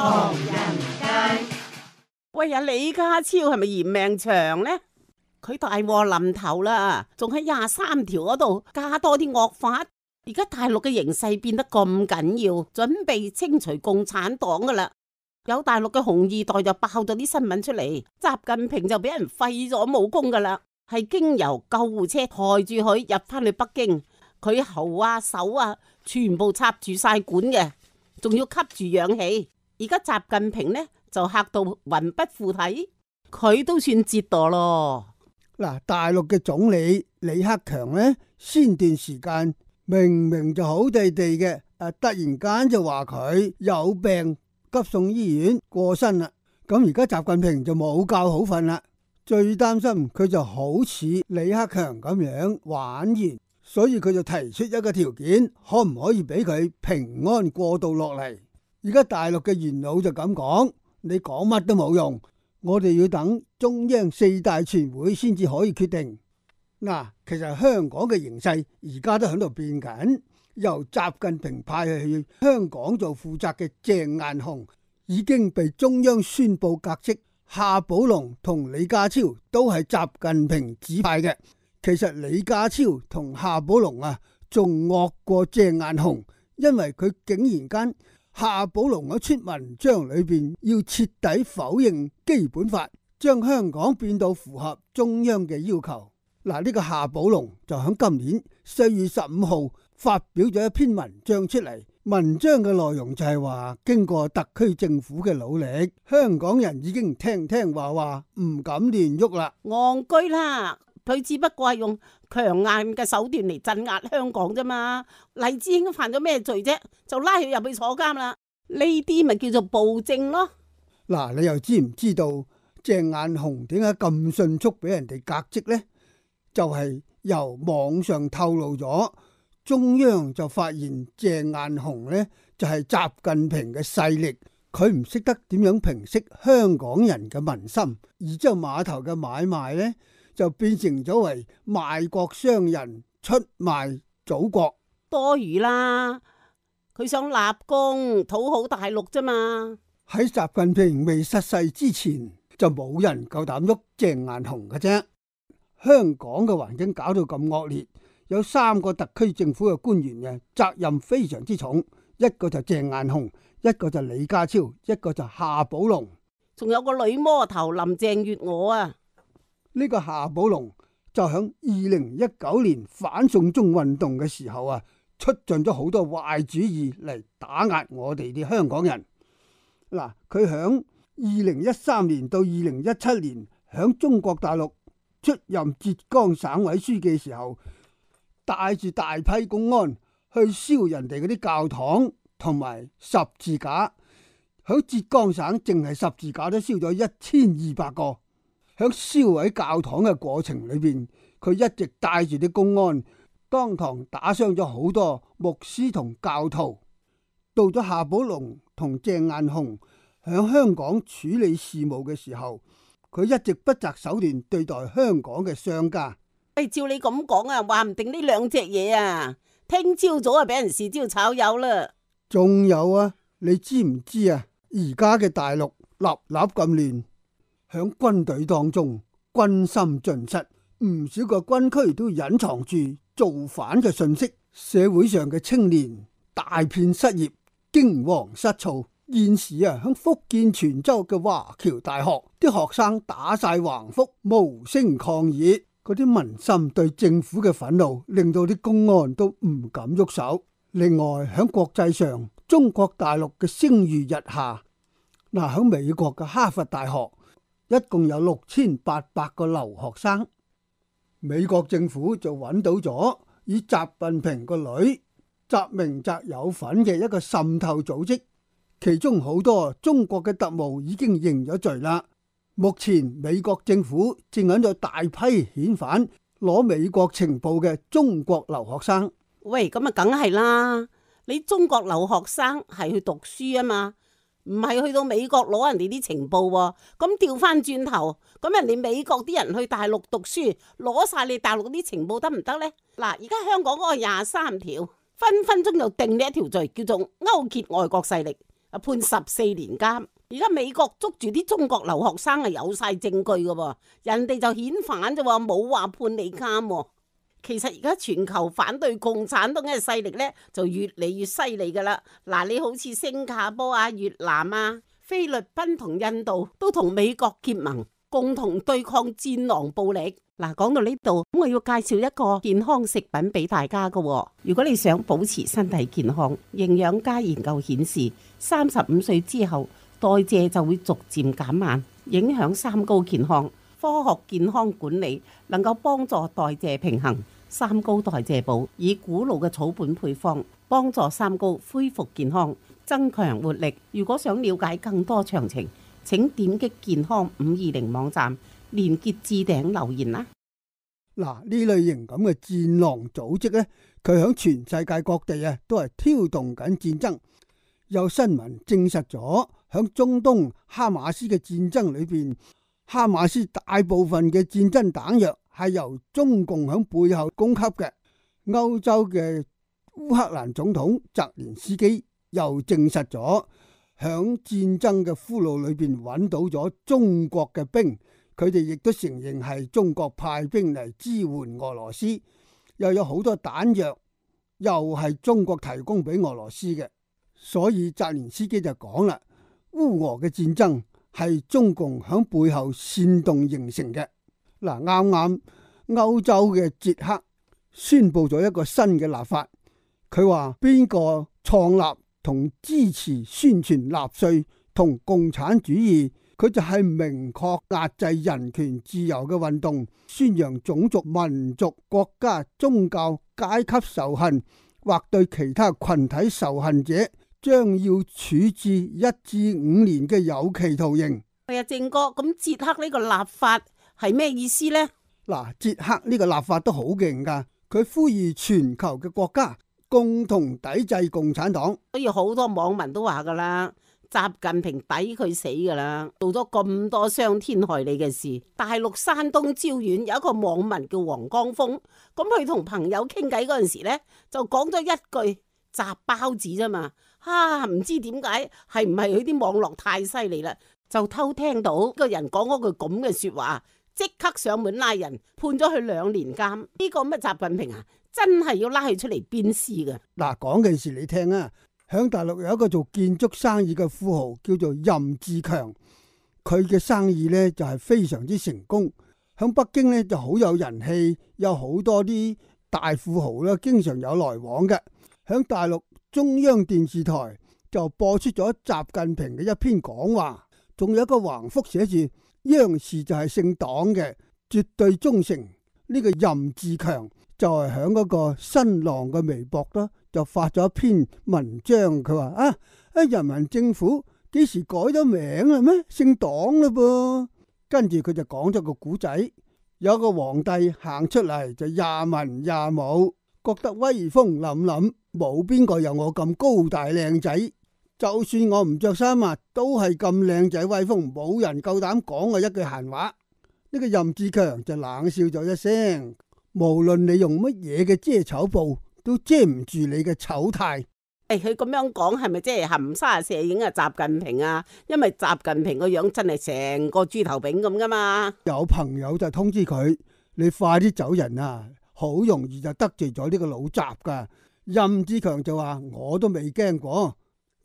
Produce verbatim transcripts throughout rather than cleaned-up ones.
唐人街。喂呀，李家超係咪嫌命長呢？佢大禍臨頭啦，仲喺廿三條嗰度加多啲惡法。而家大陸嘅形勢變得咁緊要，準備清除共產黨噶啦。有大陸嘅紅二代就爆咗啲新聞出嚟，習近平就俾人廢咗武功噶啦，係經由救護車抬住佢入翻去北京，佢喉啊手啊全部插住晒管嘅，仲要吸住氧氣。而家習近平呢就嚇到魂不附體，佢都算折墮咯。嗱，大陸嘅總理李克強呢，先段時間明明就好地地嘅，誒，突然間就話佢有病，急送醫院過身啦。咁而家習近平就冇覺好瞓啦，最擔心佢就好似李克強咁樣玩完，所以佢就提出一個條件，可唔可以俾佢平安過渡落嚟？而家大陸嘅元老就咁講，你講乜都冇用，我哋要等中央四大全會先至可以決定。嗱，其實香港嘅形勢而家都喺度變緊，由習近平派去香港做負責嘅鄭雁雄已經被中央宣布革職，夏寶龍同李家超都係習近平指派嘅。其實李家超同夏寶龍啊，仲惡過鄭雁雄，因為佢竟然間夏寶龍喺出文章裏邊要徹底否認基本法，將香港變到符合中央嘅要求。嗱，呢個夏寶龍就喺今年四月十五號發表咗一篇文章出嚟，文章嘅內容就係話，經過特區政府嘅努力，香港人已經聽聽話話，唔敢亂喐啦。戇居啦，佢只不過係用強硬嘅手段嚟鎮壓香港啫嘛。黎智英犯咗咩罪啫？就拉佢入去坐監啦。呢啲咪叫做暴政咯。嗱，你又知唔知道鄭雁雄點解咁迅速俾人哋革職呢？就係由網上透露咗，中央就發現鄭雁雄呢就係習近平嘅勢力，佢唔識得點樣平息香港人嘅民心，而之後碼頭嘅買賣呢就變成咗為賣國商人出賣祖國。多餘啦，佢想立功討好大陸啫嘛。喺習近平未失勢之前，就冇人夠膽喐鄭雁雄嘅啫。香港嘅環境搞到咁惡劣，有三個特區政府嘅官員嘅責任非常之重，一個就鄭雁雄，一個就李家超，一個就夏寶龍，仲有個女魔頭林鄭月娥啊。呢個夏寶龍就響二零一九年反送中運動嘅時候啊，出盡咗好多壞主意嚟打壓我哋啲香港人。嗱，佢響二零一三年到二零一七年響中國大陸出任浙江省委書記嘅時候，帶住大批公安去燒人哋嗰啲教堂同埋十字架，響浙江省淨係十字架都燒咗一千二百個。響燒毀教堂嘅過程裏邊，佢一直帶住啲公安，當堂打傷咗好多牧師同教徒。到咗夏寶龍同鄭雁雄響香港處理事務嘅時候，佢一直不擇手段對待香港嘅商家。誒，照你咁講啊，話唔定呢兩隻嘢啊，聽朝早啊俾人豉椒炒魷啦。仲有啊，你知唔知啊？而家嘅大陸立立咁亂，響軍隊當中軍心盡失，唔少個軍區都隱藏住造反嘅信息，社會上嘅青年大片失業，驚惶失措。現時啊，響福建泉州嘅華僑大學，啲學生打晒橫幅，無聲抗議。嗰啲民心對政府嘅憤怒，令到啲公安都唔敢喐手。另外，響國際上，中國大陸嘅聲譽日下。嗱，響美國嘅哈佛大學，一共有六千八百個留學生。美國政府就揾到咗以習近平個女習明澤有份嘅一個滲透組織。其中好多中國嘅特務已經認咗罪啦。目前美國政府正喺度大批遣返攞美國情報嘅中國留學生。喂，咁啊梗係啦，你中國留學生係去讀書啊嘛，唔係去到美國攞人哋啲情報喎。咁調翻轉頭，咁人哋美國啲人去大陸讀書，攞晒你大陸啲情報得唔得呢？嗱，而家香港嗰個廿三條分分鐘就定呢一條罪，叫做勾結外國勢力。啊判十四年監。而家美國捉住啲中國留學生係有晒證據噶，人哋就遣返啫，冇話判你監。其實而家全球反對共產黨嘅勢力咧就越嚟越犀利噶啦。嗱，你好似新加坡啊、越南啊、菲律賓同印度都同美國結盟，共同對抗戰狼暴力。嗱，講到呢度，咁我要介紹一個健康食品俾大家噶。如果你想保持身體健康，營養家研究顯示，三十五歲之後代謝就會逐漸減慢，影響三高健康。科學健康管理能夠幫助代謝平衡，三高代謝補以古老嘅草本配方幫助三高恢復健康，增強活力。如果想了解更多詳情，請點擊健康五二零網站連結置頂留言啦。嗱，呢類型咁嘅戰狼組織呢，佢響全世界各地啊都係挑動緊戰爭。有新聞證實咗，響中東哈馬斯嘅戰爭裏邊，哈馬斯大部分嘅戰爭彈藥係由中共響背後供給嘅。歐洲嘅烏克蘭總統澤連斯基又證實咗，響戰爭嘅俘虜裏邊揾到咗中國嘅兵，佢哋亦都承認係中國派兵嚟支援俄羅斯，又有好多彈藥又係中國提供俾俄羅斯嘅。所以澤連斯基就講啦，烏俄嘅戰爭係中共響背後煽動形成嘅。嗱，啱啱歐洲嘅捷克宣布咗一個新嘅立法，佢話邊個創立同支持宣傳納粹同共產主義，佢就係明確壓制人權自由嘅運動，宣揚種族、民族、國家、宗教、階級仇恨，或對其他群體仇恨者，將要處置一至五年嘅有期徒刑。係啊，正哥，咁捷克呢個立法係咩意思呢？嗱，捷克呢個立法都好勁噶，佢呼籲全球嘅國家共同抵制共產黨。所以好多網民都話噶啦，習近平抵佢死噶啦，做咗咁多傷天害理嘅事。大陸山東招遠有一個網民叫黃江峰，咁佢同朋友傾偈嗰陣時呢，就講咗一句砸包子啫嘛。啊，唔知點解係唔係佢啲網絡太犀利啦，就偷聽到個人講嗰句咁嘅說話，即刻上門拉人，判咗佢兩年監。呢、這個咩習近平啊，真係要拉佢出嚟鞭屍㗎。嗱，講件事你聽啊，響大陸有一個做建築生意嘅富豪叫做任志強，佢嘅生意呢就係非常之成功。響北京呢就好有人氣，有好多啲大富豪啦，經常有來往嘅。響大陸中央電視台就播出咗習近平嘅一篇講話，仲有一個橫幅寫住央視就係姓黨嘅，絕對忠誠。呢個任志強就係響嗰個新浪嘅微博啦，就發咗一篇文章，佢話啊，啊人民政府幾時改咗名啦咩？姓黨啦噃。跟住佢就講咗個古仔，有個皇帝行出嚟就廿文廿武，覺得威風凜凜，冇邊個有我咁高大靚仔，就算我唔着衫啊，都係咁靚仔威風，冇人夠膽講我一句閒話。呢個任志強就冷笑咗一聲，無論你用乜嘢嘅遮醜布，都遮唔住你嘅醜態。誒，佢咁樣講係咪即係含沙射影啊？習近平啊，因為習近平個樣真係成個豬頭炳咁噶嘛。有朋友就通知佢，你快啲走人啊，好容易就得罪咗呢個老習噶。任志強就話我都未驚過，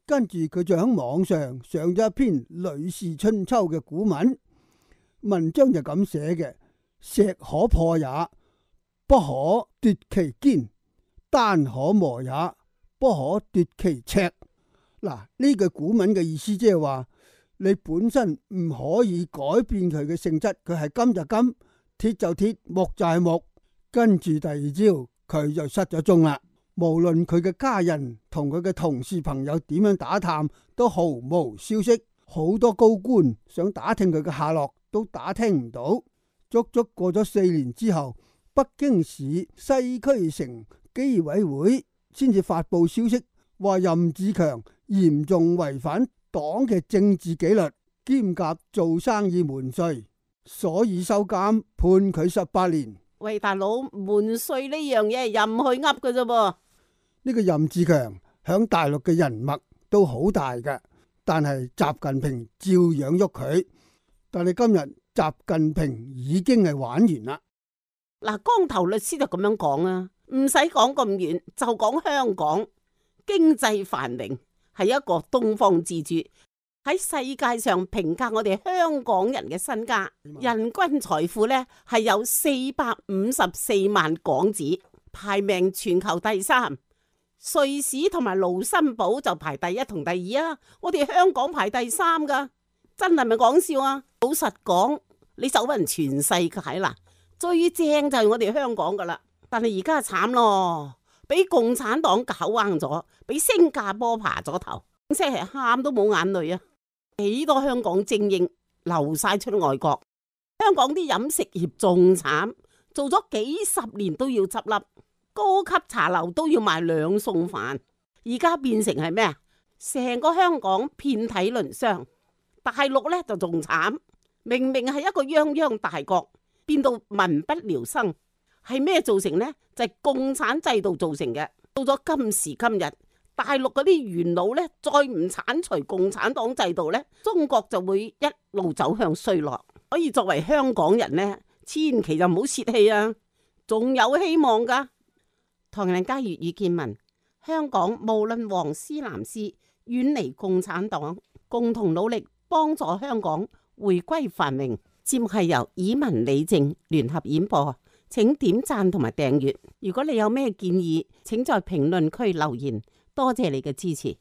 跟住佢就喺網上上咗一篇《呂氏春秋》嘅古文，文章就咁寫嘅：石可破也，不可奪其堅；丹可磨也，不可奪其赤。嗱，呢句古文嘅意思即係話，你本身唔可以改變佢嘅性質，佢係金就金，鐵就鐵，木就係木。跟住第二朝佢就失咗蹤啦。無論佢嘅家人同佢嘅同事朋友點樣打探，都毫無消息。好多高官想打聽佢嘅下落，都打聽唔到。足足過咗四年之後，北京市西區城紀委會先至發佈消息，話任志強嚴重違反黨嘅政治紀律，兼夾做生意瞞稅，所以收監，判佢十八年。喂，大佬，瞞稅呢樣嘢任去噏嘅啫噃。呢個任志強響大陸嘅人脈都好大嘅，但係習近平照樣喐佢。但係今日習近平已經係玩完啦。嗱，光頭律師就咁樣講啊，唔使講咁遠，就講香港經濟繁榮係一個東方之珠，喺世界上評價我哋香港人嘅身家，人均財富呢係有四百五十四萬港紙，排名全球第三。瑞士同埋盧森堡就排第一同第二啊，我哋香港排第三噶，真係咪講笑啊？老實講，你走勻全世界啦，最正就係我哋香港噶啦。但係而家慘咯，俾共產黨搞彎咗，俾新加坡爬咗頭，即係喊都冇眼淚啊！幾多香港精英流晒出外國，香港啲飲食業仲慘，做咗幾十年都要執笠。高級茶樓都要賣兩餸飯，而家變成係咩啊？成個香港遍體鱗傷。大陸呢就仲慘，明明係一個泱泱大國，變到民不聊生，係咩造成呢？就係共產制度造成嘅。到咗今時今日，大陸嗰啲元老呢，再唔鏟除共產黨制度呢，中國就會一路走向衰落。所以作為香港人呢，千祈就唔好泄氣啊，仲有希望噶。唐人街粵語見聞，香港無論黃絲藍絲，遠離共產黨，共同努力幫助香港回歸繁榮。節目係由以文李靜聯合演播，請點讚同埋訂閱。如果你有咩建議，請在評論區留言。多謝你嘅支持。